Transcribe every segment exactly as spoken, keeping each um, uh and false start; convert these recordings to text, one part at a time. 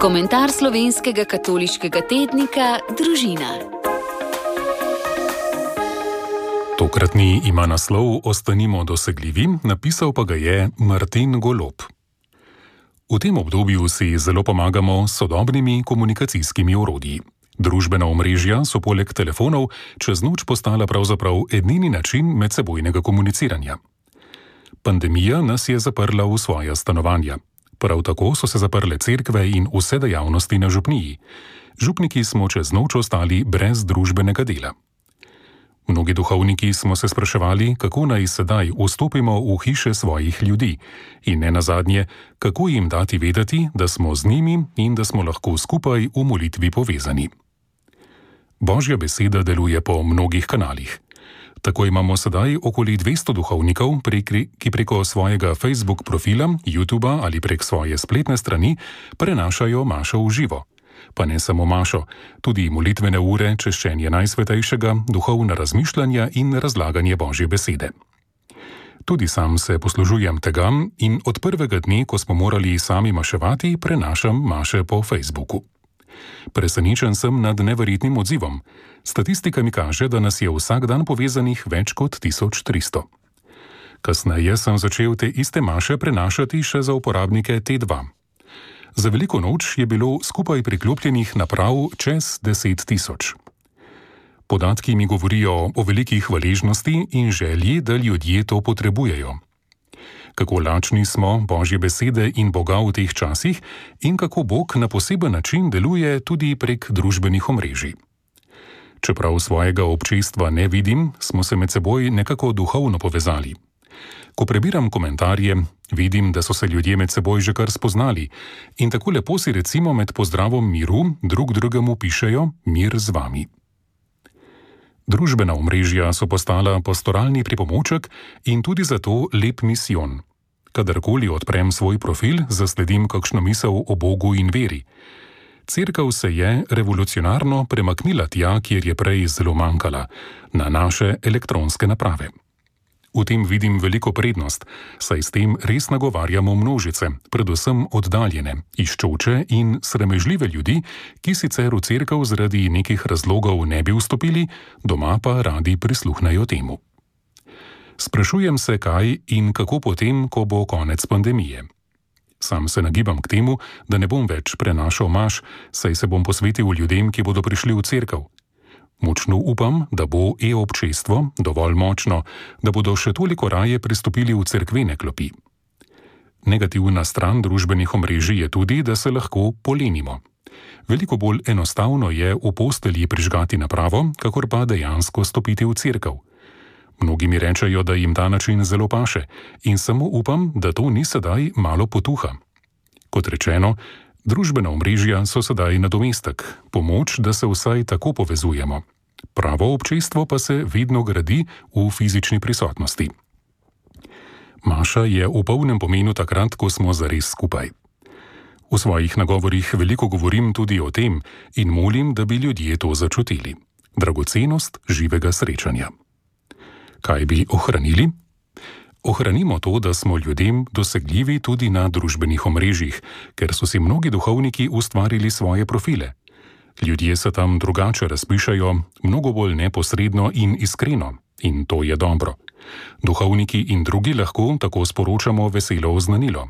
Komentar slovenskega katoliškega tednika Družina. Tokratni ima naslov Ostanimo dosegljivi, napisal pa ga je Martin Golob. V tem obdobju si zelo pomagamo s sodobnimi komunikacijskimi orodji. Družbena omrežja so poleg telefonov čez noč postala pravzaprav edini način medsebojnega komuniciranja. Pandemija nas je zaprla v svoja stanovanja. Prav tako so se zaprle cerkve in vse dejavnosti na župniji. Župniki smo čez noč ostali brez družbenega dela. Mnogi duhovniki smo se spraševali, kako naj sedaj vstopimo v hiše svojih ljudi in ne nazadnje, kako jim dati vedeti, da smo z njimi in da smo lahko skupaj v molitvi povezani. Božja beseda deluje po mnogih kanalih. Tako imamo sedaj okoli dvesto duhovnikov, ki preko svojega Facebook profila, YouTuba ali prek svoje spletne strani prenašajo mašo v živo. Pa ne samo mašo, tudi molitvene ure, češčenje Najsvetejšega, duhovna razmišljanja in razlaganje Božje besede. Tudi sam se poslužujem tega in od prvega dne, ko smo morali sami maševati, prenašam maše po Facebooku. Presenečen sem nad neverjetnim odzivom. Statistika mi kaže, da nas je vsak dan povezanih več kot tisoč tristo. Kasneje sem začel te iste maše prenašati še za uporabnike T dva. Za veliko noč je bilo skupaj priklopljenih naprav čez deset tisoč. Podatki mi govorijo o veliki hvaležnosti in želji, da ljudje to potrebujejo. Kako lačni smo Božje besede in Boga v teh časih in kako Bog na poseben način deluje tudi prek družbenih omrežij. Čeprav svojega občestva ne vidim, smo se med seboj nekako duhovno povezali. Ko prebiram komentarje, vidim, da so se ljudje med seboj že kar spoznali in tako lepo si recimo med pozdravom miru drug drugemu pišejo mir z vami. Družbena omrežja so postala pastoralni pripomoček in tudi zato lep misijon. Kadarkoli odprem svoj profil, zasledim kakšno misel o Bogu in veri. Cerkev se je revolucionarno premaknila tja, kjer je prej zelo manjkala, na naše elektronske naprave. V tem vidim veliko prednost, saj s tem res nagovarjamo množice, predvsem oddaljene, iščoče in sramežljive ljudi, ki sicer v cerkev zaradi nekih razlogov ne bi vstopili, doma pa radi prisluhnejo temu. Sprašujem se, kaj in kako potem, ko bo konec pandemije. Sam se nagibam k temu, da ne bom več prenašal maš, saj se bom posvetil ljudem, ki bodo prišli v cerkev. Močno upam, da bo e-občestvo dovolj močno, da bodo še toliko raje pristopili v cerkvene klopi. Negativna stran družbenih omrežij je tudi, da se lahko polenimo. Veliko bolj enostavno je v postelji prižgati napravo, kakor pa dejansko stopiti v cerkev. Mnogi mi rečejo, da jim ta način zelo paše in samo upam, da to ni sedaj malo potuha. Kot rečeno, družbena omrežja so sedaj nadomestek, pomoč, da se vsaj tako povezujemo. Pravo občestvo pa se vedno gradi v fizični prisotnosti. Maša je v polnem pomenu takrat, ko smo zares skupaj. V svojih nagovorih veliko govorim tudi o tem in molim, da bi ljudje to začutili. Dragocenost živega srečanja. Kaj bi ohranili? Ohranimo to, da smo ljudem dosegljivi tudi na družbenih omrežjih, ker so si mnogi duhovniki ustvarili svoje profile. Ljudje se tam drugače razpišajo, mnogo bolj neposredno in iskreno, in to je dobro. Duhovniki in drugi lahko tako sporočamo veselo oznanilo.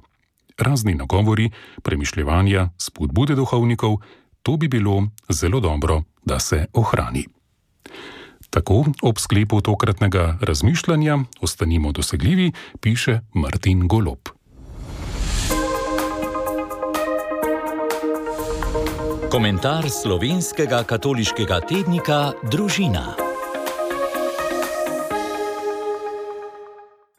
Razni nagovori, premišljevanja, spodbude duhovnikov, to bi bilo zelo dobro, da se ohrani. Tako ob sklepu tokratnega razmišljanja Ostanimo dosegljivi, piše Martin Golob. Komentar slovenskega katoliškega tednika Družina.